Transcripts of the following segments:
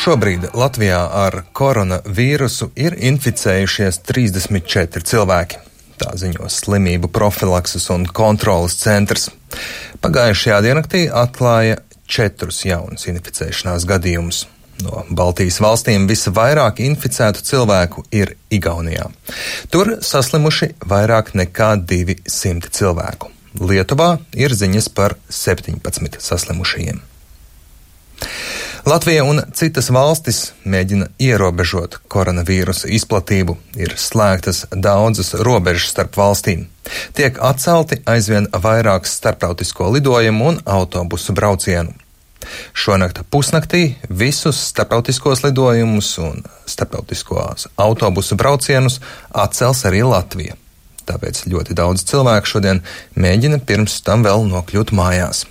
Šobrīd Latvijā ar koronavīrusu ir inficējušies 34 cilvēki. Tā ziņo Slimību profilakses un kontroles centrs. Pagājušajā diennaktī atklāja 4 jaunus inficēšanās gadījumus. No Baltijas valstīm visvairāk inficētu cilvēku ir Igaunijā. Tur saslimuši vairāk nekā 200 cilvēku. Lietuvā ir ziņas par 17 saslimušajiem. Latvija un citas valstis mēģina ierobežot koronavīrusa izplatību. Ir slēgtas daudzas robežas starp valstīm. Tiek atcelti aizvien vairāk starptautisko lidojumu un autobusu braucienu. Šonakt pusnaktī visus starptautiskos lidojumus un starptautiskos autobusu braucienus atcels arī Latvija. Tāpēc ļoti daudz cilvēku šodien mēģina pirms tam vēl nokļūt mājās.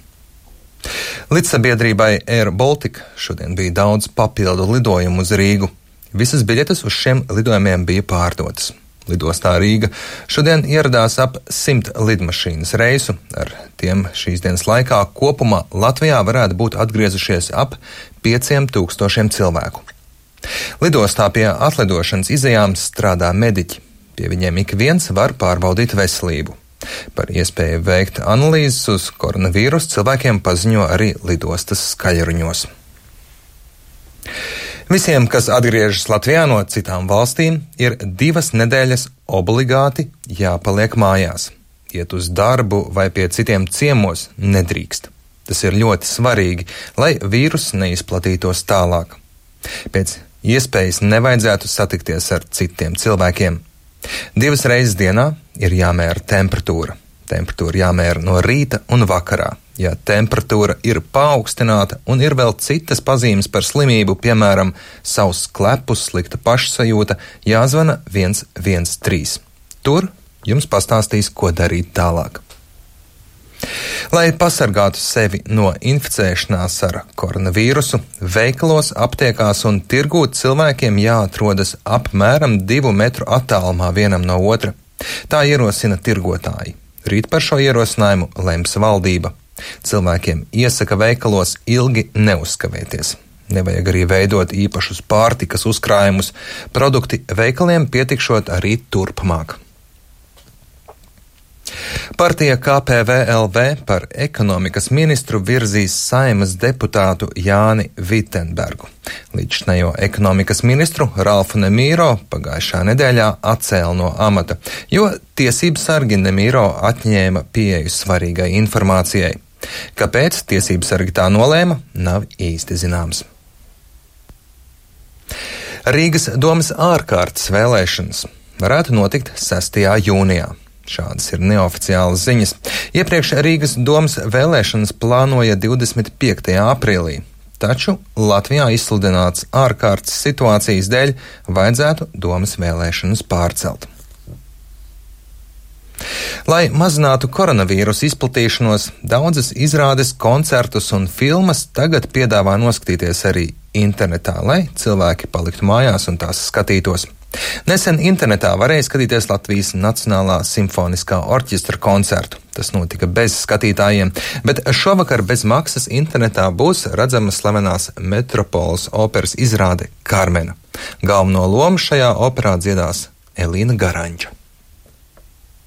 Līdzsabiedrībai Air Baltica šodien bija daudz papildu lidojumu uz Rīgu. Visas biļetes uz šiem lidojumiem bija pārdotas. Lidostā Rīga šodien ieradās ap 100 lidmašīnas reisu. Ar tiem šīs dienas laikā kopumā Latvijā varētu būt atgriezušies ap 5000 cilvēku. Lidostā pie atlidošanas izejām strādā mediķi. Pie viņiem ik viens var pārbaudīt veselību. Par iespēju veikt analīzes uz koronavīrusu cilvēkiem paziņo arī lidostas skaļruņos. Visiem, kas atgriežas Latvijā no citām valstīm, ir 2 nedēļas obligāti jāpaliek mājās. Iet uz darbu vai pie citiem ciemos nedrīkst. Tas ir ļoti svarīgi, lai vīruss neizplatītos tālāk. Pēc iespējas nevajadzētu satikties ar citiem cilvēkiem. 2 reizes dienā ir jāmēra temperatūra. Temperatūra jāmēra no rīta un vakarā. Ja temperatūra ir paaugstināta un ir vēl citas pazīmes par slimību, piemēram, sauss klepus, slikta pašsajūta, jāzvana 113. Tur jums pastāstīs, ko darīt tālāk. Lai pasargātu sevi no inficēšanās ar koronavīrusu, veikalos, aptiekās un tirgū cilvēkiem jāatrodas apmēram 2 metru attālumā vienam no otra. Tā ierosina tirgotāji. Rīt par šo ierosinājumu lems valdība. Cilvēkiem iesaka veikalos ilgi neuzkavēties. Nevajag arī veidot īpašus pārtikas uzkrājumus. Produkti veikaliem pietikšot arī turpmāk. Partija KPVLV par ekonomikas ministru virzīs Saeimas deputātu Jāni Vitenbergu. Līdzinējo ekonomikas ministru Ralfu Nemīro pagājušā nedēļā atcēla no amata, jo tiesības sargi Nemīro atņēma pieeju svarīgai informācijai. Kāpēc tiesības sargi tā nolēma, nav īsti zināms. Rīgas domas ārkārtas vēlēšanas varētu notikt 6. jūnijā. Šādas ir neoficiālas ziņas. Iepriekš Rīgas domas vēlēšanas plānoja 25. aprīlī, taču Latvijā izsludināts ārkārtas situācijas dēļ vajadzētu domas vēlēšanas pārcelt. Lai mazinātu koronavīrusu izplatīšanos, daudzas izrādes, koncertus un filmas tagad piedāvā noskatīties arī internetā, lai cilvēki paliktu mājās un tās skatītos. Nesen internetā varēja skatīties Latvijas Nacionālā simfoniskā orķestra koncertu. Tas notika bez skatītājiem, bet šovakar bez maksas internetā būs redzama slavenās Metropoles operas izrāde Karmena. Galveno lomu šajā operā dziedās Elīna Garanča.